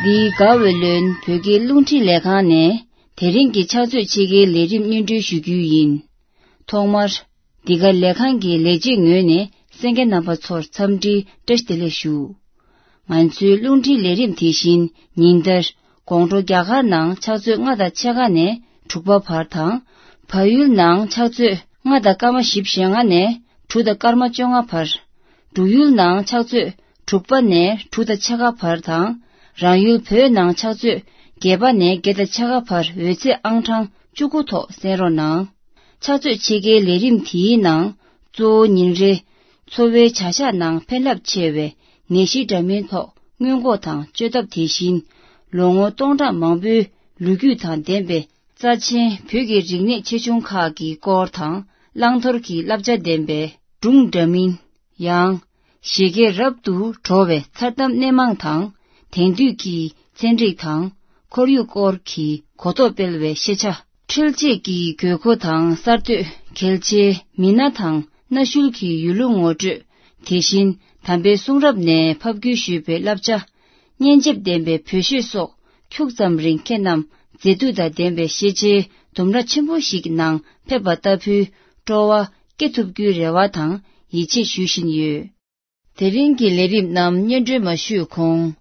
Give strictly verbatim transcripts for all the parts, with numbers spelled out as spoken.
འདིའི་དགའ་བའི་ལོན་བོད་ཀྱི་རླུང་འཕྲིན་ལས་ཁང་ནས་དེ་རིང་གི་ཕྱག་ཚོད་ཕྱེད་ཀའི་ལས་རིམ་སྙན་སྒྲོན་ཞུ་རྒྱུ་ཡིན། ཐོག་མར། འདི་ག་ལས་ཁང་གི་ལས་བྱེད་ངོས་ནས་གསན་མཁན་རྣམ་པ་ཚོར་འཚམས་འདྲིའི་བཀྲ་ཤིས་བདེ་ལེགས་ཞུ། ང་ཚོའི་རླུང་འཕྲིན་ལས་རིམ་དེ་བཞིན་ཉིན་ལྟར་དགོང་དྲོ་རྒྱ་གར་ནང་ཕྱག་ཚོད་ལྔ་དང་ཕྱེད་ཀ་ནས་དྲུག་པ་བར་དང་། བལ་ཡུལ་ནང་ཕྱག་ཚོད་ལྔ་དང་སྐར་མ་བཞི་བཅུ་ཞེ་ལྔ་ནས་དྲུག་དང་སྐར་མ་བཅོ་ལྔ་བར། འབྲུག་ཡུལ་ནང་ཕྱག་ཚོད་དྲུག་པ་ནས་དྲུག་དང་ཕྱེད་ཀ་བར་དང་། རང་ཡུལ་བོད་ནང་ཕྱག་ཚོད་བརྒྱད་པ་ནས་བརྒྱད་དང་ཕྱེད་ཀ་བར་འོད་ཚད་ཨང་གྲངས་བཅུ་དགུ་ཐོག་གསན་རོགས་གནང་། ཕྱག་ཚོད་ཕྱེད་ཀའི་ལས་རིམ་དེའི་ནང་གཙོ་བོ་ཉིན་རེའི་འཚོ་བའི་བྱ་གཞག་ནང་ཕན་རླབས་ཆེ་བའི་ནད་གཞི་འདྲ་མིན་ཐོག་སྔོན་འགོག་དང་བཅོས་ཐབས། དེ་བཞིན་ལོ་ངོ་སྟོང་ཕྲག་མང་པོའི་ལོ་རྒྱུས་དང་ལྡན་པའི་རྩ་ཆེན་བོད་ཀྱི་རིག་གནས་ཆེ་ཆུང་ཁག་གི་སྐོར་དང་། བླང་དོར་གྱི་བསླབ་བྱ་ལྡན་པའི་སྒྲུང་འདྲ་མིན། ཡང་། བཞད་གད་རབ་ཏུ་བྲོ་བའི་མཚར་གཏམ་སྣེ་མང་དང་། དེང་དུས་ཀྱི་ཚན་རིག་དང་ཁོར་ཡུག་སྐོར་གྱི་གོ་རྟོགས་སྤེལ་བའི་ཤེས་བྱ། འཕྲུལ་ཆས་ཀྱི་དགོས་མཁོ་དང་གསར་གཏོད། གལ་ཆེའི་མི་སྣ་དང་གནའ་ཤུལ་གྱི་ཡུལ་ལུང་ངོ་སྤྲོད། དེ་བཞིན་དམ་པའི་གསུང་རབ་ནས་ཕབ་བསྒྱུར་ཞུས་པའི་བསླབ་བྱ། སྙན་འཇེབས་ལྡན་པའི་བོད་གཞས་སོགས་ཁྱུག་ཙམ་རིང་ཁྱེད་རྣམས་མཛེས་སྡུག་དང་ལྡན་པའི་ཤེས་བྱའི་ལྡུམ་ར་ཆེན་པོ་ཞིག་ནང་ཕེབས་པ་ལྟ་བུའི་སྤྲོ་བ་སྐྱེ་ཐུབ་རྒྱུའི་རེ་བ་དང་ཡིད་ཆེས་ཞུ་བཞིན་ཡོད། དེ་རིང་གི་ལས་རིམ་རྣམས་སྙན་སྒྲོན་མ་ཞུས་གོང་།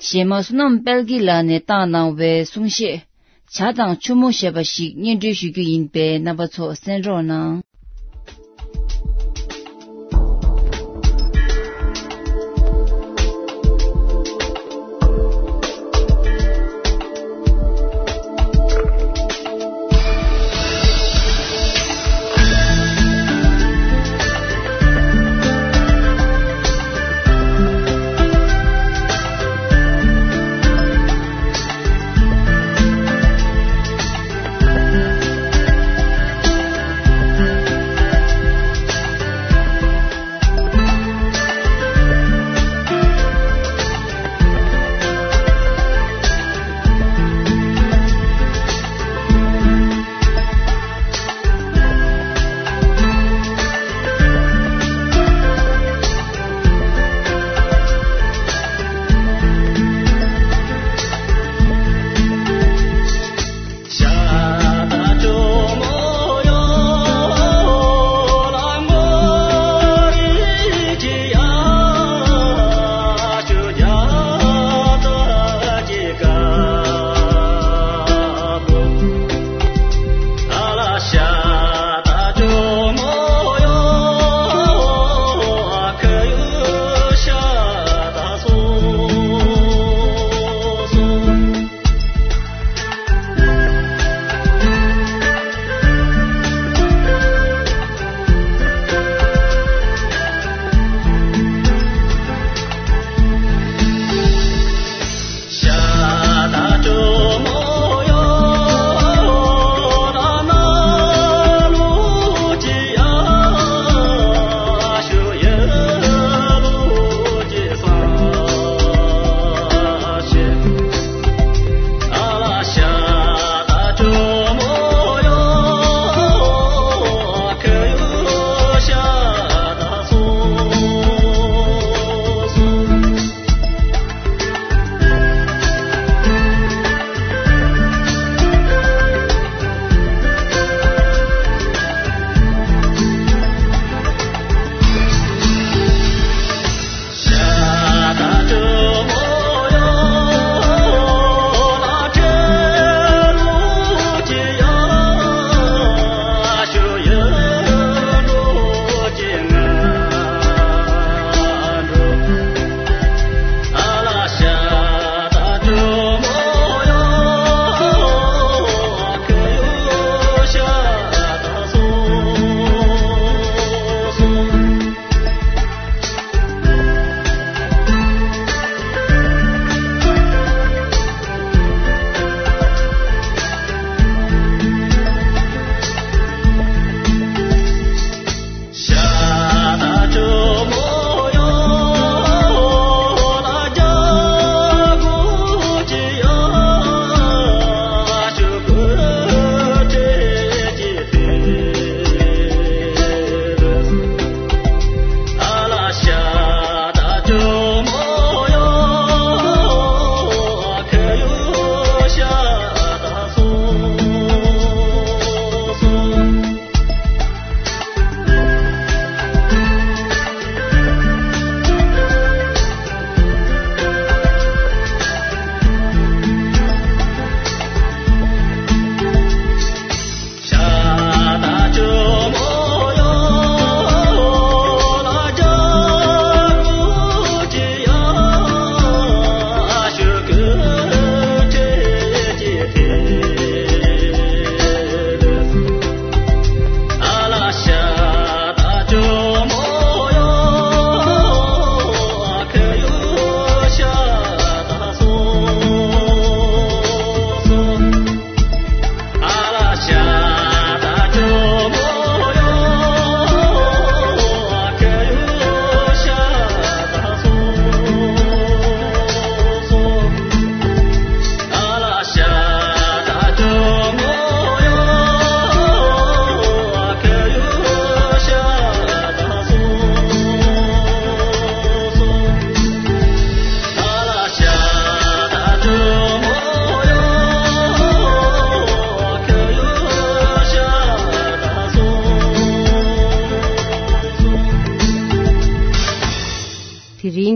གཞས་མ་བསོད་ནམས་དཔལ་སྐྱིད་ལགས་ནས་བཏང་གནང་བའི་གསུང་གཞས། བྱ་དང་ཆུ་མོ་ཞེས་པ་ཞིག་སྙན་སྒྲོན་ཞུ་རྒྱུ་ཡིན་པས་རྣམ་པ་ཚོ་གསན་རོགས་གནང་།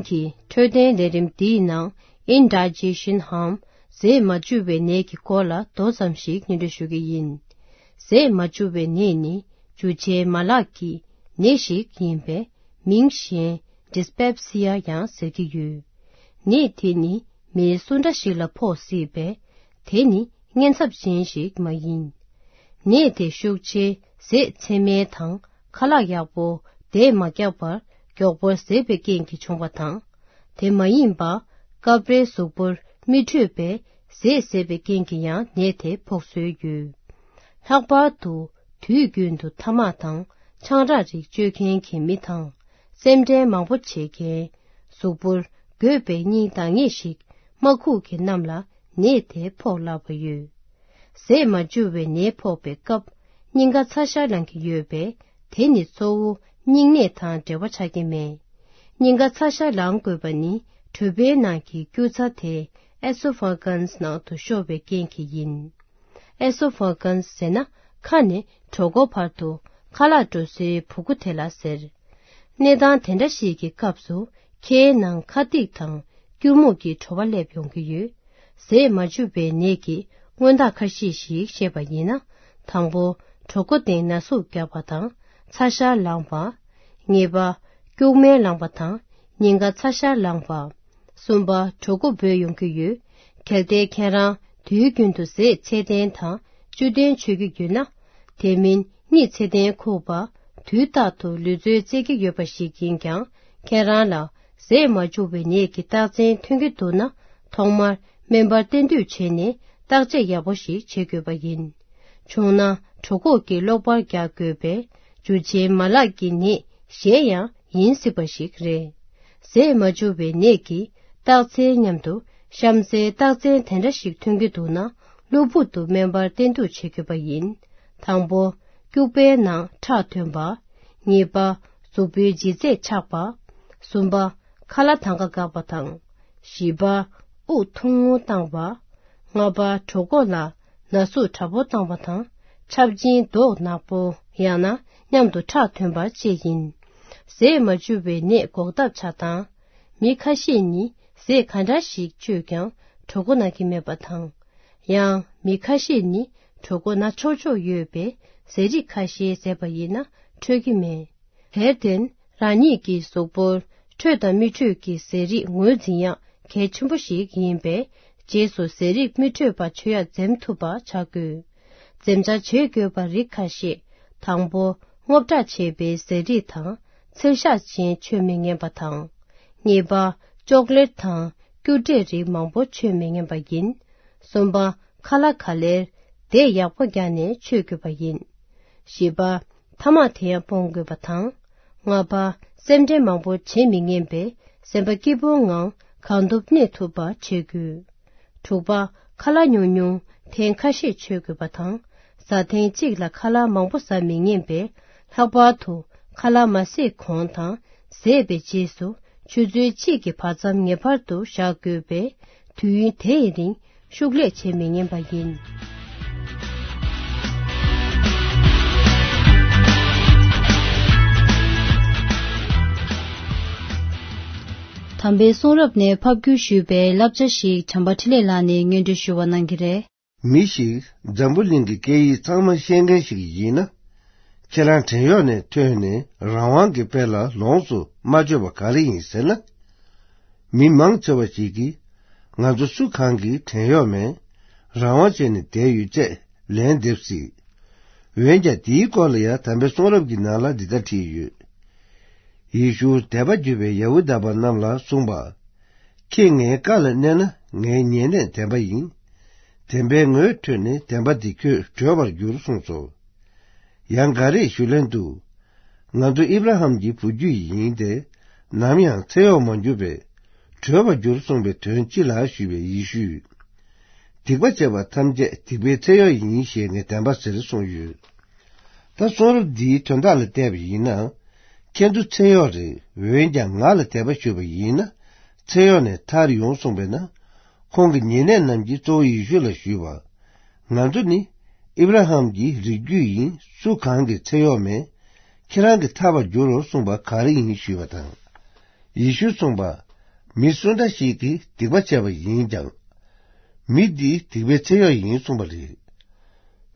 གི་འཕྲོད་བསྟེན་ལས་རིམ་འདིའི་ནང་། Indigestion harm ཟས་མ་འཇུ་བའི་ནད་ཀྱི་སྐོར་ལ་མདོ་ཙམ་ཞིག་སྙན་སྒྲོན་ཞུ་གི་ཡིན། ཟས་མ་འཇུ་བའི་ནད་ནི་འཇུ་བྱེད་མ་ལག་གི་ནད་ཞིག་ཡིན་པས། མིང་གཞན་Dyspepsia ཡང་ཟེར་གྱི་ཡོད། ནད་དེ་ནི་མི་སུ་འདྲ་ཞིག་ལ་ཕོག་སྲིད་པས། དེ་ནི་ཉེན་ཚབས་ཅན་ཞིག་མ་ཡིན། ནད་དེ་ཤུགས་ཆེ་ཟས་ཚད་མེད་དང་ཁ་ལག་ཡག་པོ་དེ་མ་བརྒྱབ་པར་མགྱོགས་པོར་ཟས་པའི་རྐྱེན་གྱིས་བྱུང་བ་དང་། དེ་མ་ཡིན་པ། སྐབས་རེ་གཟུགས་པོར་མི་འཕྲོད་པའི་ཟས་ཟས་པའི་རྐྱེན་གྱིས་ཡང་ནད་དེ་ཕོག་སྲོལ་ཡོད། ལྷག་པར་དུ་དུས་རྒྱུན་དུ་ཐ་མག་དང་ཆང་རག་རིགས་སྤྱོད་མཁན་གྱི་མི་དང་། སེམས་ཁྲལ་མང་པོ་བྱེད་མཁན། གཟུགས་པོར་དགོས་པའི་གཉིད་འདང་ངེས་ཤིག་མ་ཁུག་མཁན་རྣམས་ལ་ནད་དེ་ཕོག་སླ་པོ་ཡོད། ཟས་མ་འཇུ་བའི་ནད་ཕོག་པའི་སྐབས། སྙིང་ག་ཚ་ཤ་ལངས་ཀྱི་ཡོད་པས། དེ་ནི་གཙོ་བོ་སྙིང་ནད་དང་འབྲེལ་བ་ཆགས་ཀྱི་མེད། སྙིང་ག་ཚ་ཤ་ལངས་དགོས་པ་ནི། གྲོད་པའི་ནང་གི་སྐྱུག་ཚ་དེ་ཨེ་སོ་ཕ་གཱས་ནང་དུ་ཤོར་བའི་རྐྱེན་གྱིས་ཡིན། ཨེ་སོ་ཕ་གཱས་ཟེར་ན། ཁ་ནས་གྲོད་ཁོག་བར་དུ་ཁ་ལག་འགྲོ་སའི་སྦུ་གུ་དེ་ལ་ཟེར། གནས་སྟངས་དེ་འདྲ་ཞིག་གི་སྐབས་སུ། ཁའི་ནང་ཁ་ཏིག་དང་སྐྱུར་མོ་གི་བྲོ་བ་སླེབས་ཡོང་གི་ཡོད། ཟས་མ་འཇུ་བའི་ནད་ཀྱི་མངོན་རྟགས་ཁ་ཤས་ཤིག་བཤད་པ་ཡིན་ན། དང་པོ། གྲོད་ཁོག་སྟེང་ན་ཟུག་བརྒྱབ་པ་དང་ཚ་ཤ་ལངས་པ། གཉིས་པ། སྐྱུག་མེར་ལངས་པ་དང་སྙིང་ག་ཚ་ཤ་ལངས་པ། གསུམ་པ། གྲོད་ཁོག་འབོད་ཡོང་གི་ཡོད། གལ་ཏེ་ཁྱེད་རང་དུས་རྒྱུན་དུ་ཟས་ཚད་ལྡན་དང་བཅུད་ལྡན་མཆོད་ཀྱི་ཡོད་ན། དེ་མིན་གཉིད་ཚད་ལྡན་ཁུག་པ། དུས་རྟག་ཏུ་ལུས་རྩལ་རྩེད་ཀྱི་ཡོད་པ་ཞིག་ཡིན་ཀྱང་། ཁྱེད་རང་ལ་ཟས་མ་འཇུ་བའི་ནད་ཀྱི་རྟགས་མཚན་ཐོན་གྱི་འདུག་ན། ཐོག་མར་སྨན་པར་བསྟེན་གཏོད་བྱས་ནས་བརྟག་དཔྱད་ཡག་པོ་ཞིག་བྱེད་དགོས་པ་ཡིན། བྱུང་ན་གྲོད་ཁོག་གི་གློག་པར་རྒྱག་དགོས་པས། འཇུ་བྱེད་མ་ལག་གི་ནད་གཞན་ཡང་ཡིན་སྲིད་པ་ཞིག་རེད། ཟས་མ་འཇུ་བའི་ནད་ཀྱི་རྟགས་མཚན་མཉམ་དུ་གཤམ་གསལ་རྟགས་མཚན་དེ་འདྲ་ཞིག་ཐོན་གྱི་འདུག་ན། གློ་བུར་དུ་སྨན་པར་བསྟེན་གཏོད་བྱེད་དགོས་པ་ཡིན། དང་པོ། སྐྱུག་པའི་ནང་ཁྲག་ཐོན་པ། གཉིས་པ། གཟུགས་པོའི་ལྗིད་ཚད་ཆག་པ། གསུམ་པ། ཁ་ལག་དང་ག་འགག་པ་དང་། བཞི་པ། དབུགས་ཐུང་ངུ་བཏང་བ། ལྔ་པ། གྲོད་ཁོག་ལ་ན་ཟུག་དྲག་པོ་བཏང་བ་དང་། ཆབ་ཆེན་མདོག་ནག་པོ། ཡང་ན་མཉམ་དུ་ཁྲག་ཐོན་པ་བཅས་ཡིན། ཟས་མ་འཇུ་བའི་ནད་འགོག་ཐབས་བྱ་སྟངས། མི་ཁ་ཤས་ནི་ཟས་ག་འདྲ་ཞིག་སྤྱོད་ཀྱང་གྲོད་ཁོག་ན་གི་མེད་པ་དང་། ཡང་མི་ཁ་ཤས་ནི་གྲོད་ཁོག་ན་ཆོག་ཆོག་ཡོད་པས། ཟས་རིགས་ཁ་ཤས་ཟས་པ་ཡིན་ན་འཕྲོད་ཀྱི་མེད། དེར་བརྟེན། རང་ཉིད་ཀྱི་གཟུགས་པོར་འཕྲོད་དང་མི་འཕྲོད་ཀྱི་ཟས་རིགས་ངོས་འཛིན་ཡག་གལ་ཆེན་པོ་ཞིག་ཡིན་པས། རྗེས་སུ་ཟས་རིགས་མི་འཕྲོད་པ་མཆོད་ཡག་འཛེམ་ཐུབ་པ་བྱ་དགོས། འཛེམ་བྱ་བྱེད་དགོས་པ་རིགས་ཁ་ཤས། དང་པོ། རྔོ་སྦྲག་བྱས་པའི་ཟས་རིགས་དང་ཚལ་ཤ་ཅན་མཆོད་མི་ཉན་པ་དང་། གཉིས་པ། ཅོག་ལེར་དང་སྐྱུར་འབྲས་རིགས་མང་པོ་མཆོད་མི་ཉན་པ་ཡིན། གསུམ་པ། ཁ་ལག་ག་ལེར་དེ་ཡག་པོ་རྒྱག་ནས་མཆོད་དགོས་པ་ཡིན། བཞི་པ། ཐ་མག་དེ་ཡང་སྤོང་དགོས་པ་དང་། ལྔ་པ། སེམས་ཁྲལ་མང་པོ་བྱེད་མི་ཉན་པས་སེམས་པ་སྐྱིད་པོའི་ངང་གང་ཐུབ་གནས་ཐུབ་པ་བྱེད་དགོས། དྲུག་པ། ཁ་ལག་ཉུང་ཉུང་ཐེངས་ཁ་ཤས་མཆོད་དགོས་པ་དང་། ཟ་ཐེངས་གཅིག་ལ་ཁ་ལག་མང་པོ་ཟ་མི་ཉན་པས། ལྷག་པར་དུ་ཁ་ལག་མ་ཟས་གོང་དང་ཟས་པའི་རྗེས་སུ་ཆུ་ཚོད་གཅིག་གི་བར་མཚམས་ངེས་པར་དུ་བཞག་དགོས་པས། དུས་ཡུན་དེ་ཡི་རིང་ཤུགས་ལས་བྱེད་མི་ཉན་པ་ཡིན། དམ་པའི་གསུང་རབ་ནས་ཕབ་བསྒྱུར་ཞུས་པའི་བསླབ་བྱ་ཞིག་བྱམས་པ་འཕྲིན་ལས་ལགས་ནས་སྙན་སྒྲོན་ཞུ་བ་གནང་གི་རེད། མི་ཞིག་འཛམ་བུ་གླིང་གི་སྐད་ཡིག་ཚང་མ་ཤེས་མཁན་ཞིག་ཡིན་ན། ཁྱེད་རང་བྲན་གཡོག་ནས་ཐོན་ནས་རང་དབང་གི་དཔལ་ལ་ལོངས་སུ་མ་སྤྱོད་པ་ག་རེ་ཡིན་ཟེར་ན། མི་མང་ཆེ་བ་ཞིག་གིས་ང་ཚོ་སུ་གང་གི་བྲན་གཡོག་མེད། རང་དབང་བྱས་ནས་བསྡད་ཡོད་ཅེས་ལན་འདེབས་སྲིད། འོན་ཀྱང་དེའི་སྐོར་ལ་ཡང་དམ་པའི་གསུང་རབ་ཀྱི་ནང་ལ་འདི་ལྟར་བྲིས་ཡོད། ཡེ་ཤུ་དད་པ་ཡོད་པའི་ཡ་ཧུ་དཱ་པ་རྣམས་ལ་གསུངས་པ། ཁྱེད་ངའི་བཀའ་ལ་གནས་ན་ངའི་ཉེ་གནས་བདེན་པ་ཡིན། བདེན་པའི་ངོས་ཐོས་ནས་བདེན་པ་འདི་ཁྱོད་གྲོལ་བར་འགྱུར་གསུངས་སོ། ཡང་འགའ་རེས་ཞུ་ལན་དུ། ང་ཚོ་ཨིབ་ར་ཧམ་གྱི་བུ་རྒྱུད་ཡིན་ཏེ། ནམ་ཡང་ཚེ་གཡོག་མ་གྱུར་པས། གྲོལ་བར་འགྱུར་གསུངས་པའི་དོན་ཅི་ལགས་ཞུས་པས་ཡེ་ཤུས། སྡིག་པ་བྱས་པ་ཐམས་ཅད་སྡིག་པའི་ཚེ་གཡོག་ཡིན་ཞེས་ངས་བདེན་པ་ཟེར་གསུངས་ཡོད། ད་གསུང་རབ་འདིའི་དོན་དག་ལ་བལྟས་པ་ཡིན་ན། ཁྱེད་ཚོ་ཚེ་གཡོག་རེད། འོན་ཀྱང་ང་ལ་དད་པ་ཞུས་པ་ཡིན་ན། ཚེ་གཡོག་ནས་ཐར་ཡོང་གསུངས་པས་ན། ཁོང་གི་ཉེ་གནས་རྣམས་ཀྱིས་གཙོ་བོ་ཡེ་ཤུ་ལ་ཞུས་པ། ང་ཚོ་ནི་ཨིབ་ར་ཧམ་གྱི་རིགས་རྒྱུད་ཡིན། སུ་གང་གི་ཚེ་གཡོག་མེད། ཁྱེད་རང་གིས་ཐར་བར་འགྱུར་རོ་གསུངས་པ་ག་རེ་ཡིན་ཞུས་པ་དང་། ཡེ་ཤུས་གསུངས་པ། མི་སུ་འདྲ་ཞིག་གིས་སྡིག་པ་བྱས་པ་ཡིན་ཀྱང་། མི་འདི་སྡིག་པའི་ཚེ་གཡོག་ཡིན་གསུངས་པ་རེད།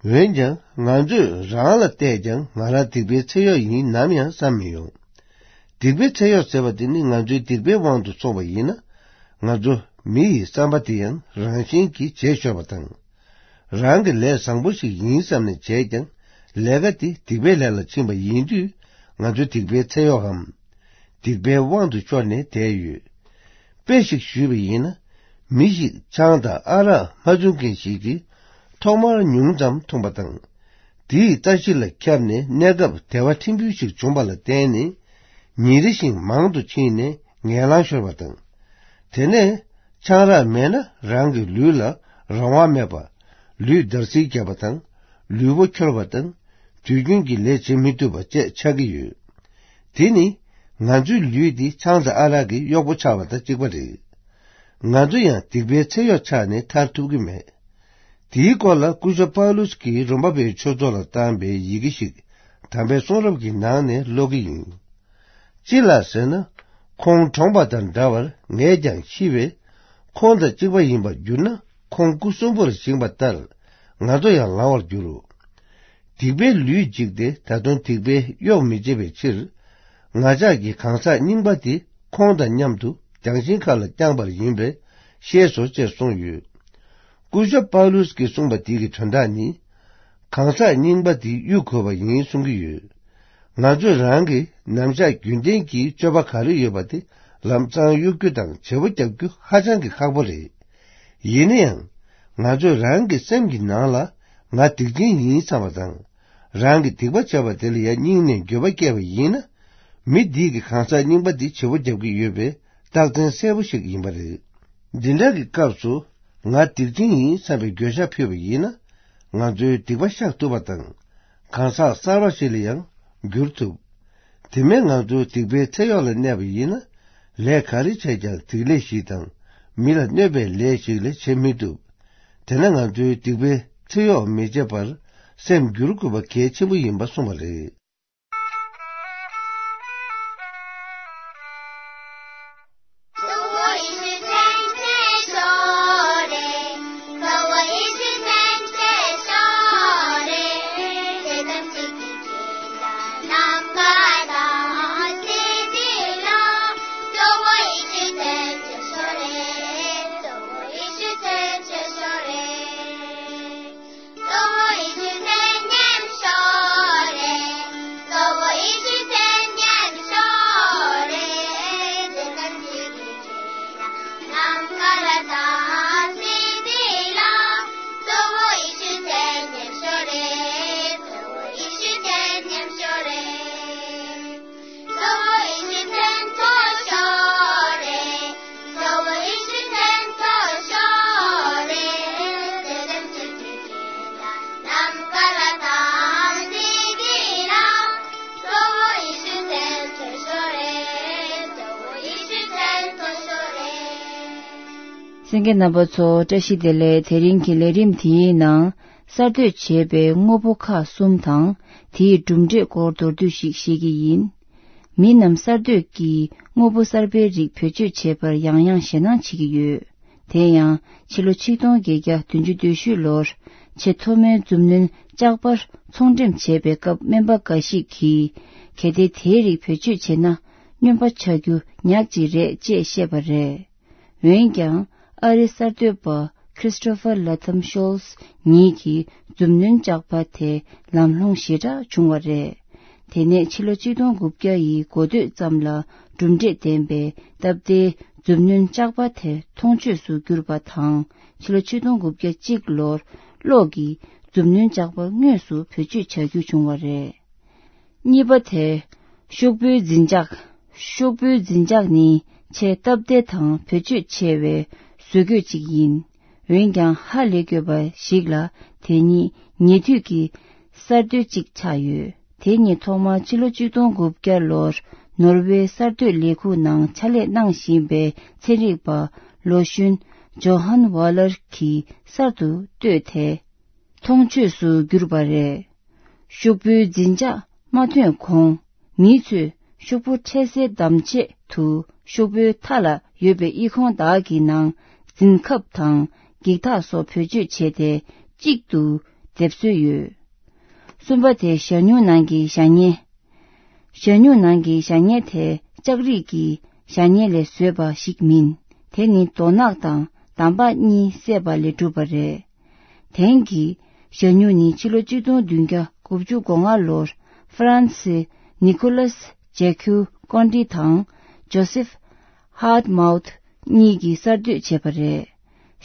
འོན་ཀྱང་ང་ཚོས་རང་ལ་བལྟས་ཀྱང་ང་རང་སྡིག་པའི་ཚེ་གཡོག་ཡིན་ནམ་ཡང་བསམ་མི་ཡོང་། སྡིག་པའི་ཚེ་གཡོག་ཟེར་བ་དེ་ནི་ང་ཚོའི་སྡིག་པའི་དབང་དུ་སོང་བ་ཡིན་ན། ང་ཚོ་མི་ཡི་བསམ་པ་དེ་ཡང་རང་བཞིན་གྱིས་བརྗེད་ཤོར་བ་དང་། རང་གི་ལས་བཟང་པོ་ཞིག་ཡིན་བསམ་ནས་བྱས་ཀྱང་ལས་ཀ་དེ་སྡིག་པའི་ལས་ལ་ཕྱིན་པ་ཡིན་དུས། ང་ཚོ་སྡིག་པའི་ཚེ་གཡོག་གམ། སྡིག་པའི་དབང་དུ་ཤོར་ནས་བསྡད་ཡོད། དཔེ་ཞིག་ཞུས་པ་ཡིན་ན། མི་ཞིག་ཆང་དང་ཨ་རག་མ་འཐུང་མཁན་ཞིག་གིས་ཐོག་མར་ཉུང་ཙམ་འཐུང་པ་དང་། དེའི་ལྟ་གཞི་ལ་ཁྱབ་ནས་གནས་སྐབས་བདེ་བ་ཕྲན་བུ་ཞིག་བྱུང་བ་ལ་བརྟེན་ནས། ཉིན་རེ་བཞིན་མང་དུ་ཕྱིན་ནས་ངན་ལང་ཤོར་བ་དང་། དེ་ནས་ཆང་རག་མེད་ན་རང་གི་ལུས་ལ་རང་དབང་མེད་པ། ལུས་འདར་སིག་བརྒྱབ་པ་དང་། ལུས་པོ་འཁྱོར་བ་དང་། དུས་རྒྱུན་གྱི་ལས་བྱེད་མི་ཐུབ་པ་བཅས་ཆགས་ཀྱི་ཡོད། དེ་ནི་ང་ཚོའི་ལུས་འདི་ཆང་དང་ཨ་རག་གིས་གཡོག་པོ་ཆགས་པ་དང་གཅིག་པ་རེད། ང་ཚོ་ཡང་སྡིག་པའི་ཚེ་གཡོག་ཆགས་ནས་ཐར་ཐུབ་ཀྱི་མེད། དེའི་སྐོར་ལ་སྐུ་ཞབས་པཱ་ལུས་ཀྱིས་རོམ་པ་པའི་ཆོས་ཚོགས་ལ་བཏང་པའི་ཡི་གེ་ཞིག་དམ་པའི་གསུང་རབ་ཀྱི་ནང་ནས་ཀློག་གི་ཡིན། ཅི་ལགས་ཟེར་ན། ཁོང་གྲོངས་པ་དང་འདྲ་བར་ངས་ཀྱང་ཤི་བས། ཁོང་དང་གཅིག་པ་ཡིན་པར་གྱུར་ན། ཁོང་སྐུ་གསོན་པོར་བཞེངས་པ་ལྟར། ང་ཚོ་ཡང་ལང་བར་འགྱུར་རོ། སྡིག་པའི་ལུས་འཇིག་སྟེ་ད་དུང་སྡིག་པའི་གཡོག་མི་བྱེད་པའི་ཕྱིར། ང་ཅག་གི་གང་ཟག་རྙིང་པ་དེ་ཁོང་དང་མཉམ་དུ་རྒྱང་ཤིང་ཁ་ལ་བརྐྱངས་པར་ཡིན་པས་ཤེས་སོ་ཅེས་གསུངས་ཡོད། སྐུ་ཞབས་པཱ་ལུས་ཀྱིས་གསུངས་པ་དེ་གི་དོན་དག་ནི། གང་ཟག་རྙིང་པ་དེ་གཡུག་དགོས་པ་ཡིན་གསུང་གི་ཡོད། ང་ཚོས་རང་གི་ནམ་ཞག་རྒྱུན་ལྡན་གྱི་སྤྱོད་པ་ག་རེ་ཡོད་པ་དེ་ལམ་སང་གཡུག་རྒྱུ་དང་བརྗེ་པོ་རྒྱག་རྒྱུ་ཧ་ཅང་གི་ཁག་པོ་རེད། ཡིན་ན་ཡང་། ང་ཚོས་རང་གི་སེམས་ཀྱི་ནང་ལ་ང་སྡིག་ཅན་ཡིན་བསམ་པ་དང་། རང་གི་སྡིག་པ་བྱས་པ་དེ་ལ་ཡང་སྙིང་ནས་འགྱོད་པ་སྐྱེས་པ་ཡིན་ན། མི་འདིས་ཀྱི་གང་ཟག་རྙིང་པ་འདི་བརྗེ་པོ་རྒྱག་གི་ཡོད་པའི་རྟགས་མཚན་གསལ་པོ་ཞིག་ཡིན་པ་རེད། འདི་འདྲ་གི་སྐབས་སུ་ང་སྡིག་ཅན་ཡིན་བསམ་པའི་འགྱོད་བཤགས་ཕུལ་བ་ཡིན་ན། ང་ཚོའི་སྡིག་པ་བཤགས་ཐུབ་པ་དང་། གང་ཟག་གསར་བ་ཞིག་ལ་ཡང་འགྱུར་ཐུབ། དེ་མིན་ང་ཚོའི་སྡིག་པའི་ཚེ་གཡོག་ལ་གནས་པ་ཡིན་ན། ལས་ག་རེ་བྱས་ཀྱང་སྡིག་ལས་ཤིག་དང་། མི་ལ་གནོད་པའི་ལས་ཤིག་ལས་བྱེད་མི་ཐུབ། དེ་ན་ང་ཚོའི་སྡིག་པའི་ཚེ་གཡོག་མི་བྱེད་པར་སེམས་བསྒྱུར་དགོས་པ་གལ་ཆེན་པོ་ཡིན་པ་གསུངས་པ་རེད། གསན་མཁན་རྣམ་པ་ཚོ་བཀྲ་ཤིས་བདེ་ལེགས། དེ་རིང་གི་ལས་རིམ་དེའི་ནང་གསར་གཏོད་བྱས་པའི་དངོས་པོ་ཁག་གསུམ་དང་དེའི་གྲུབ་འབྲས་སྐོར་མདོར་བསྡུས་ཤིག་བཤད་ཀྱི་ཡིན། མི་རྣམས་གསར་གཏོད་ཀྱིས་དངོས་པོ་གསར་པའི་རིགས་བེད་སྤྱོད་བྱེད་པར་ཡང་ཡང་ཞེད་སྣང་བྱེད་ཀྱི་ཡོད། དེ་ཡང་ཕྱི་ལོ་ཆིག་སྟོང་བརྒྱད་བརྒྱ་བདུན་ཅུ་དོན་བཞི་ལོར་ཆེས་ཐོག་མའི་མཛུབ་གནོན་ལྕགས་པར་ཚོང་འགྲེམས་བྱས་པའི་སྐབས་སྨན་པ་འགའ་ཞིག་གིས་གལ་ཏེ་དེའི་རིགས་བེད་སྤྱོད་བྱས་ན་སྨྱོན་པ་ཆགས་རྒྱུ་ཉག་ཅིག་རེད་ཅེས་བཤད་པ་རེད། འོན་ཀྱང་ཨ་རིའི་གསར་གཏོད་པ་Christopher Latham Scholes ཉིད་ཀྱིས་མཛུབ་གནོན་ལྕགས་པར་དེ་ལམ་ལྷོང་ཞེ་དྲག་བྱུང་བ་རེད། དེ་ནས་ཕྱི་ལོ་ཆིག་སྟོང་དགུ་བརྒྱ་ཡི་འགོ་སྟོད་ཙམ་ལ་གྲུབ་འབྲས་ལྡན་པའི་སྟབས་བདེའི་མཛུབ་གནོན་ལྕགས་པར་དེ་མཐོང་ཆོས་སུ་གྱུར་པ་དང་། ཕྱི་ལོ་ཆིག་སྟོང་དགུ་བརྒྱ་གཅིག་ལོར་གློག་གི་མཛུབ་གནོན་ལྕགས་པར་དངོས་སུ་བེད་སྤྱོད་བྱ་རྒྱུ་བྱུང་བ་རེད། གཉིས་པ་དེ། ཤོག་བུའི་འཛིན་ཆགས། ཤོག་བུའི་འཛིན་ཆགས་ནི་ཆེས་སྟབས་བདེ་དང་བེད་སྤྱོད་ཆེ་བའི་བཟོ་བཀོད་ཅིག་ཡིན། འོན་ཀྱང་ཧ་ལས་དགོས་པ་ཞིག་ལ་དེ་ཉིད་ཉེ་དུས་ཀྱི་གསར་གཏོད་ཅིག་ཆགས་ཡོད། དེ་ཉིད་ཐོག་མར་ཕྱི་ལོ་ཆིག་སྟོང་དགུ་བརྒྱ་ལོར་ནོར་ཝེའི་གསར་གཏོད་ལས་ཁུངས་ནང་ཕྱག་ལས་གནང་བཞིན་པའི་ཚན་རིག་པ་ལོ་གཞོན་ཇོ་ཧན་ཝ་ལར་གྱིས་གསར་དུ་བཏོད་དེ། མཐོང་ཆོས་སུ་གྱུར་པ་རེད། ཤོག་བུའི་འཛིན་ཆགས་མ་ཐོན་གོང་། མི་ཚོས་ཤོག་བུ་འཕྲལ་སེལ་བདམས་ཆེད་དུ་ཤོག་བུའི་མཐའ་ལ་ ཡོད་པའི་ཨི་ཁུང་དག་གི་ནང་འཛིན་ཁབ་དང་འགྱིག་ཐག་སོགས་བེད་སྤྱོད་བྱས་ཏེ་གཅིག་ཏུ་སྡེབ་སྲོལ་ཡོད། གསུམ་པ་དེ་ཞྭ་སྨྱུག་ནང་གི་ཞྭ་སྙན། ཞྭ་སྨྱུག་ནང་གི་ཞྭ་སྙན་དེ་ལྕགས་རིགས་ཀྱི་ཞྭ་སྙན་ལས་བཟོས་པ་ཞིག་མིན། དེ་ནི་རྡོ་ནག་དང་འདམ་བག་གཉིས་བསྲེས་པ་ལས་གྲུབ་པ་རེད། དེང་གི་ཞྭ་སྨྱུག་ནི་ཕྱི་ལོ་ཆིག་སྟོང་བདུན་བརྒྱ་དགུ་བཅུ་གོ་ལྔ་ལོར་ཧྥ་རན་སི་ནི་ཁོ་ལཱས་ཇེ་ཁུ་ཀོན་ཏི་དང་ཇོ་སེབ་ཧར་མའོ་ཐི་གཉིས་ཀྱིས་གསར་གཏོད་བྱས་པ་རེད།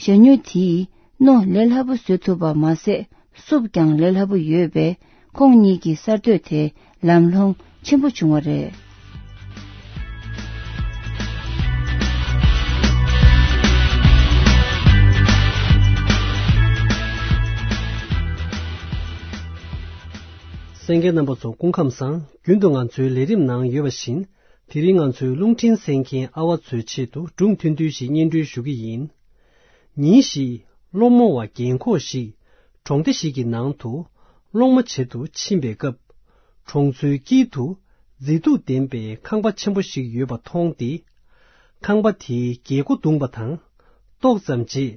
ཞྭ་སྨྱུག་དེས་རྣོ་ལས་སླ་པོ་བཟོ་ཐུབ་པ་མ་ཟད་སུབ་ཀྱང་ལས་སླ་པོ་ཡོད་པས། ཁོང་གཉིས་ཀྱི་གསར་གཏོད་དེ་ལམ་ལྷོང་ཆེན་པོ་བྱུང་བ་རེད། གསན་མཁན་རྣམ་པ་ཚོ་སྐུ་ཁམས་བཟང་། རྒྱུན་དུ་ང་ཚོའི་ལས་རིམ་ནང་ཡོད་པ་བཞིན། དེ་རིང་ང་ཚོའི་རླུང་འཕྲིན་གསན་མཁན་ཨ་བ་ཚོའི་ཆེད་དུ་སྒྲུང་ཐུང་ཐུང་ཞིག་སྙན་སྒྲོན་ཞུ་གི་ཡིན། ཉིན་ཞིག་སློང་མོ་བ་རྒན་འཁོགས་ཤིག་གྲོང་སྡེ་ཞིག་གི་ནང་དུ་སློང་མོ་བྱེད་དུ་ཕྱིན་པའི་སྐབས། གྲོང་ཚོའི་དཀྱིལ་དུ་མཛེས་སྡུག་ལྡན་པའི་ཁང་པ་ཆེན་པོ་ཞིག་ཡོད་པ་མཐོང་སྟེ། ཁང་པ་དེའི་རྒྱལ་སྒོ་བརྡུངས་པ་དང་། ཏོག་ཙམ་རྗེས་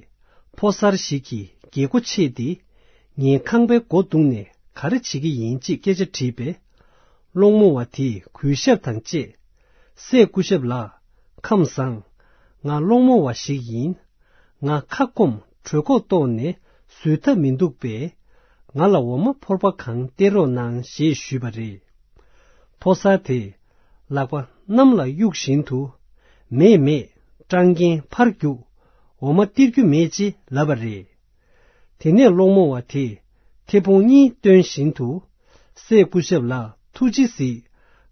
ཕོ་གསར་ཞིག་གིས་རྒྱལ་སྒོ་ཕྱེས་ཏེ། ངའི་ཁང་པའི་སྒོ་བརྡུངས་ནས་ག་རེ་བྱེད་ཀྱི་ཡིན་ཅེས་སྐད་ཆ་དྲིས་པས། སློང་མོ་བ་དེས་གུས་ཞབས་དང་བཅས། སྲས་སྐུ་ཞབས་ལགས། ཁམས་བཟང་། ང་སློང་མོ་བ་ཞིག་ཡིན། ང་ཁ་སྐོམ་གྲོད་ཁོག་ལྟོགས་ནས་བཟོད་ཐབས་མི་འདུག་པས། ང་ལ་འོ་མ་ཕོར་པ་གང་སྟེར་རོགས་གནང་ཞེས་ཞུས་པ་རེད། ཕོ་གསར་དེས་ལག་པ་གནམ་ལ་གཡུག་བཞིན་དུ། མེད་མེད། སྤྲང་རྒན་ཕར་རྒྱུག་འོ་མ་སྟེར་རྒྱུ་མེད་ཅེས་ལབ་པ་རེད། དེ་ནས་སློང་མོ་བ་དེས་མཐེ་བོང་གཉིས་སྟོན་བཞིན་དུ། སྲས་སྐུ་ཞབས་ལགས། ཐུགས་རྗེ་གཟིགས།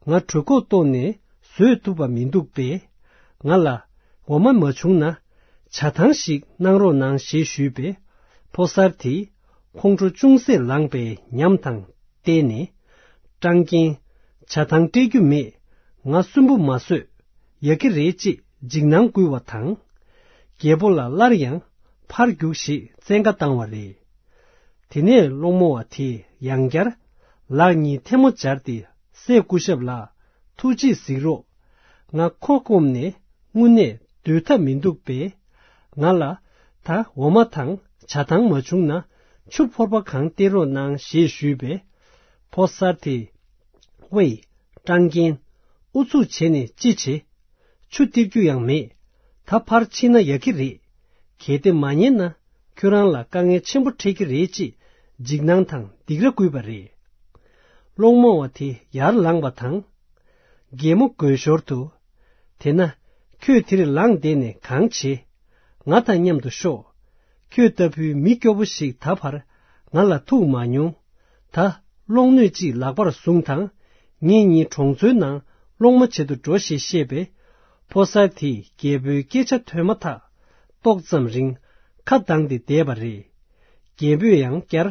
ང་གྲོད་ཁོག་ལྟོགས་ནས་བཟོད་ཐུབ་པ་མི་འདུག་པས། ང་ལ་འོ་མ་མ་བྱུང་ན་ཇ་ཐང་ཞིག་གནང་རོགས་གནང་ཞེས་ཞུས་པས། ཕོ་གསར་དེས་ཁོང་ཁྲོ་ཅུང་ཟད་ལངས་པའི་ཉམས་དང་བསྟན་ནས། སྤྲང་རྒན། ཇ་ཐང་སྤྲད་རྒྱུ་མེད། ང་སུན་པོ་མ་བཟོད། ཡག་གི་རེད་ཅེས་འཇིགས་སྣང་བསྐུལ་བ་དང་། རྒད་པོ་ལ་སླར་ཡང་ཕར་རྒྱུགས་ཞེས་བཙན་བཀའ་བཏང་བ་རེད། དེ་ནས་སློང་མོ་བ་དེས་ཡང་བསྐྱར་ལག་གཉིས་ཐལ་མོ་སྦྱར་ཏེ། སྲས་སྐུ་ཞབས་ལགས། ཐུགས་རྗེས་གཟིགས་རོགས། ང་ཁ་སྐོམ་ནས་དངོས་གནས་སྡོད་ཐབས་མི་འདུག་པས། ང་ལ་ད་འོ་མ་དང་ཇ་ཐང་མ་བྱུང་ན་ཆུ་ཕོར་པ་གང་སྟེར་རོགས་གནང་ཞེས་ཞུས་པས། ཕོ་གསར་དེས། ཝེ། སྤྲང་རྒན། ཨུ་ཚུགས་བྱས་ནས་ཅི་བྱེད། ཆུ་སྟེར་རྒྱུ་ཡང་མེད། ད་ཕར་ཕྱིན་ན་ཡག་གི་རེད། གལ་ཏེ་མ་ཉན་ན་ཁྱོད་རང་ལ་དཀའ་ངལ་ཆེན་པོ་འཕྲད་ཀྱི་རེད་ཅེས་འཇིགས་སྣང་དང་སྡིགས་ར་བསྐུལ་བ་རེད། སློང་མོ་བ་དེ་ཡར་ལངས་པ་དང་། རྒན་མོ་དགོད་ཞོར་དུ། དེས་ན། ཁྱོད་དེར་ལངས་བསྡད་ནས་གང་བྱེད། ང་དང་མཉམ་དུ་ཤོག་ཁྱོད་ལྟ་བུའི་མི་སྐྱོ་པོ་ཞིག་ད་བར་ང་ལ་ཐུག་མ་མྱོང་། ད་སློང་སྣོད་ཅིག་ལག་པར་བཟུང་དང་། ངེད་གཉིས་གྲོང་ཚོའི་ནང་སློང་མོ་བྱེད་དུ་འགྲོ་ཞེས་བཤད་པས། ཕོ་གསར་དེས་རྒད་པོའི་སྐད་ཆ་ཐོས་མ་ཐག་ཏོག་ཙམ་རིང་ཁ་གདངས་ཏེ་བསྡད་པ་རེད། རྒད་པོས་ཡང་བསྐྱར།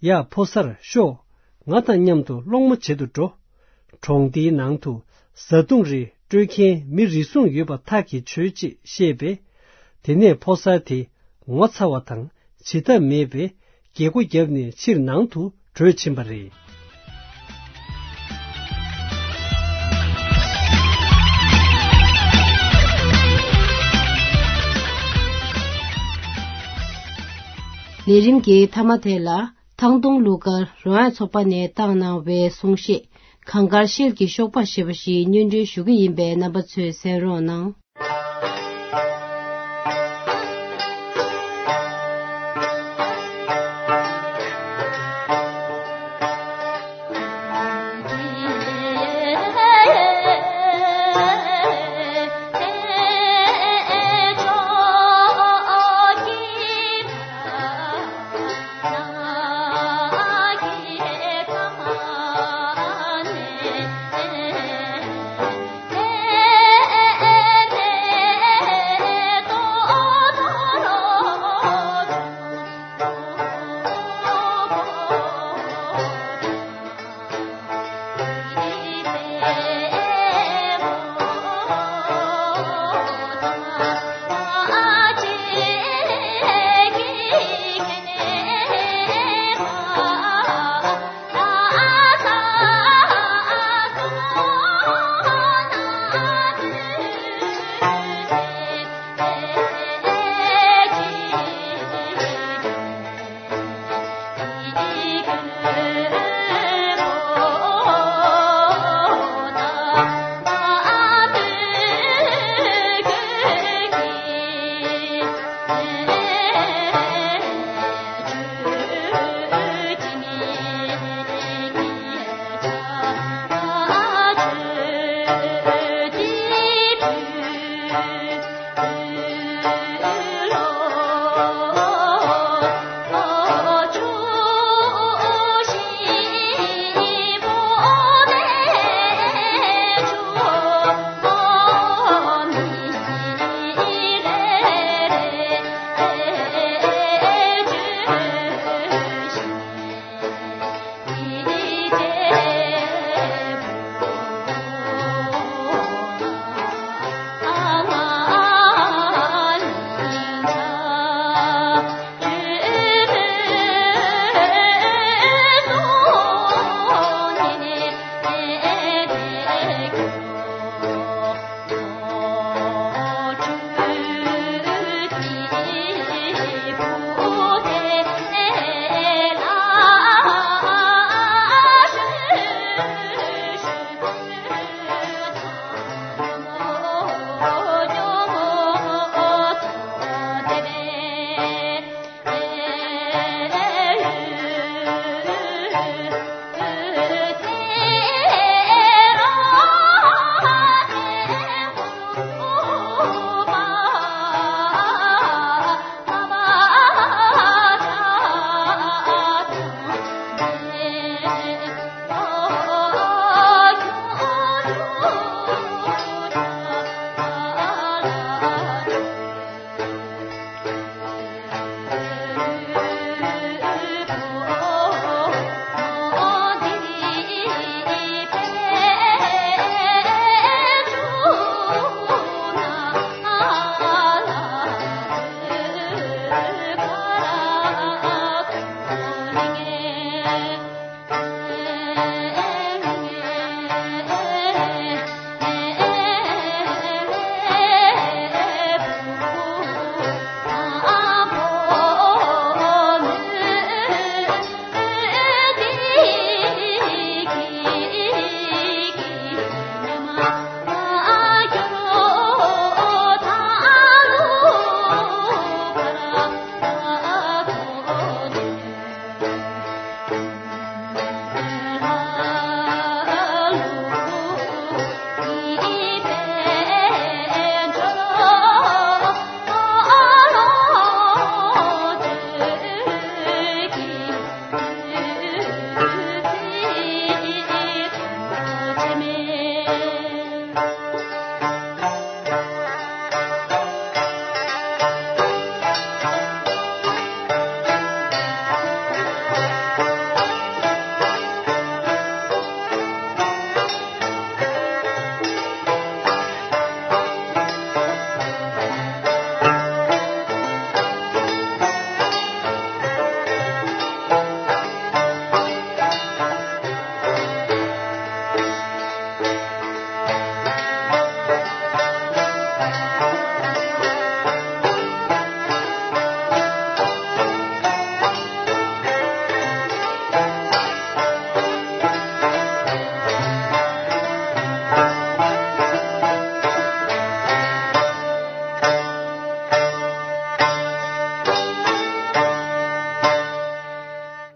ཡ་ཕོ་གསར་ཤོག་ང་དང་མཉམ་དུ་སློང་མོ་བྱེད་དུ་འགྲོ། གྲོང་སྡེའི་ནང་དུ་བཟའ་བཏུང་རེ་སྤྲོད་མཁན་མི་རེ་ཟུང་ཡོད་པ་ཐག་གིས་ཆོད་ཅེས་བཤད་པས། དེ་ནས་ཕོ་གསར་དེ་ངོ་ཚ་བ་དང་བྱེད་ཐབས་མེད་པས། རྒྱལ་སྒོ་བརྒྱབ་ནས་ཕྱིར་ནང་དུ་བྲོས་ཕྱིན་པ་རེད། ལས་རིམ་གྱི་མཐའ་མ་དེ་ལ། ཐང་སྟོང་ལུག་དཀར་རོང་ཡ་ཚོགས་པ་ནས་བཏང་གནང་བའི་གསུང་བཤད། གངས་དཀར་ཤེལ་གྱི་གཤོག་པ་ཞེས་པ་ཞིག་སྙན་སྒྲོན་ཞུ་གི་ཡིན་པས། རྣམ་པ་ཚོས་གསན་རོགས་གནང་།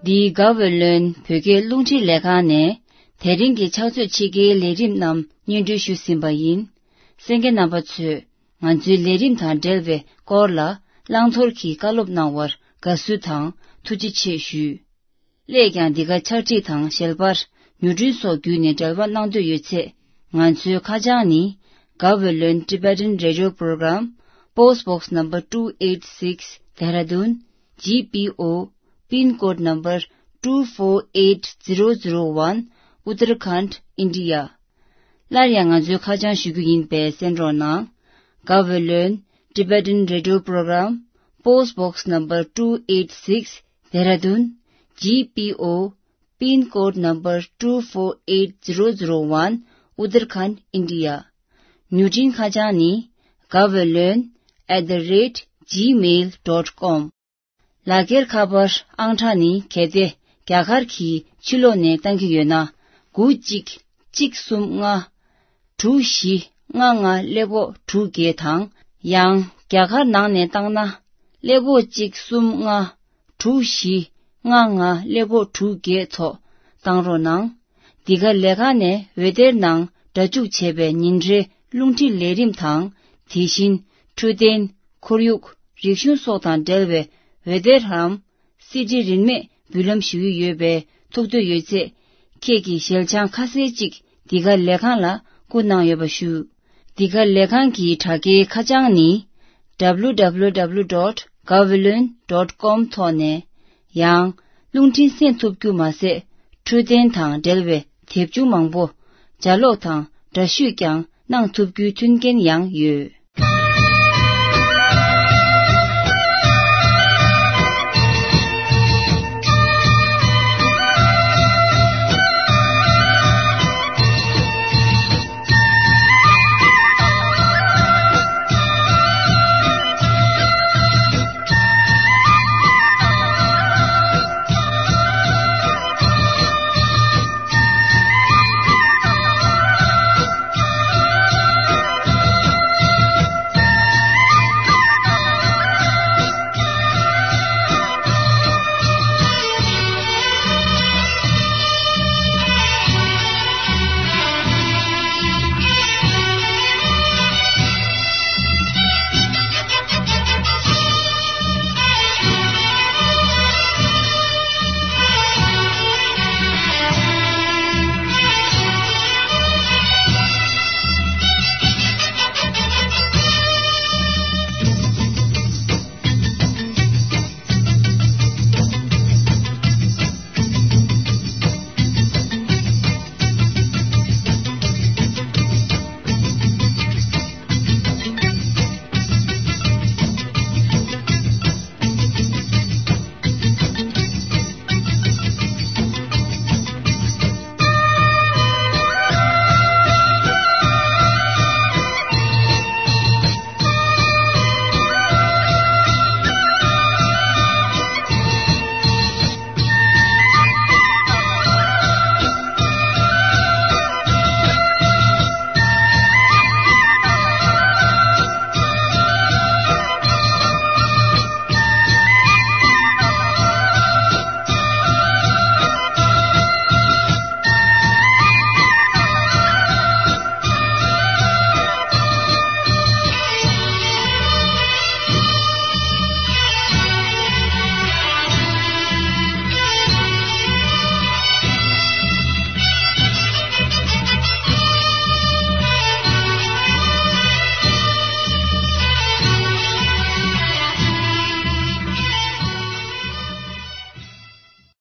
འདིའི་དགའ་བའི་ལོན་བོད་སྐད་རླུང་འཕྲིན་ལས་ཁང་ནས་དེ་རིང་གི་ཕྱག་ཚོད་ཕྱེད་ཀའི་ལས་རིམ་རྣམས་སྙན་སྒྲོན་ཞུས་ཟིན་པ་ཡིན། གསན་མཁན་རྣམ་པ་ཚོས་ང་ཚོའི་ལས་རིམ་དང་འབྲེལ་བའི་སྐོར་ལ་བླང་དོར་གྱི་བཀའ་སློབ་གནང་བར་དགའ་བསུ་དང་ཐུགས་རྗེ་ཆེ་ཞུ། སླད་ཀྱང་འདི་ག་ཕྱག་བྲིས་དང་ཞལ་པར་མྱུར་འཕྲིན་སོགས་བརྒྱུད་ནས་འབྲེལ་བ་གནང་འདོད་ཡོད་ཚེ། ང་ཚོའི་ཁ་བྱང་ནི། དགའ་བའི་ལོན་Tibetan Radio Program, Post Box Number two eight six, Dehradun, G P O, Pin Code Number two four eight zero zero one, Uttarakhand, India. སླར་ཡང་ང་ཚོའི་ཁ་བྱང་ཞུ་རྒྱུ་ཡིན་པས་གསན་རོགས་གནང་། དགའ་བའི་ལོན་Tibetan Radio Program, Post Box Number two eight six, Dehradun, G P O, Pin Code Number two four eight zero zero one, Uttarakhand, India. མྱུར་འཕྲིན་ཁ་བྱང་ནི། དགའ་བའི་ལོན་at the rate gmail dot com། ལག་འཁྱེར་ཁ་པར་ཨང་གྲངས་ནི་གལ་ཏེ་རྒྱ་གར་གྱི་ཕྱི་ལོགས་ནས་བཏང་གི་ཡོད་ན། དགུ་གཅིག་གཅིག་གསུམ་ལྔ་དྲུག་བཞི་ལྔ་ལྔ་ཀླད་ཀོར་དྲུག་བརྒྱད་དང་། ཡང་རྒྱ་གར་ནང་ནས་བཏང་ན། ཀླད་ཀོར་གཅིག་གསུམ་ལྔ་དྲུག་བཞི་ལྔ་ལྔ་ཀླད་ཀོར་དྲུག་བརྒྱད་ཐོག་བཏང་རོགས་གནང་། འདི་ག་ལས་ཁང་ནས་འོད་སྡེར་ནང་སྒྲ་འཇུག་བྱས་པའི་ཉིན་རེའི་རླུང་འཕྲིན་ལས་རིམ་དང་། དེ་བཞིན་འཕྲོད་བསྟེན། ཁོར་ཡུག་རིག་གཞུང་སོགས་དང་འབྲེལ་བའི་འོད་སྡེར་རམ། སི་ཌི་རིན་མེད་འབུལ་ལམ་ཞུ་གི་ཡོད་པས། ཐུགས་འདོད་ཡོད་ཚེ། ཁྱེད་ཀྱི་ཞལ་བྱང་ཁ་གསལ་ཅིག་འདི་ག་ལས་ཁང་ལ་བསྐུར་གནང་ཡོད་པ་ཞུ། འདི་ག་ལས་ཁང་གི་དྲ་རྒྱའི་ཁ་བྱང་ནི། W W W dot gaweylon dot com ཐོག་ནས། ཡང་རླུང་འཕྲིན་གསན་ཐུབ་རྒྱུ་མ་ཟད། འཕྲོད་བསྟེན་དང་འབྲེལ་བའི་དེབ་ཆུང་མང་པོ་ལྗགས་ཀློག་དང་འདྲ་བཤུས་ཀྱང་གནང་ཐུབ་རྒྱུའི་མཐུན་རྐྱེན་ཡང་ཡོད།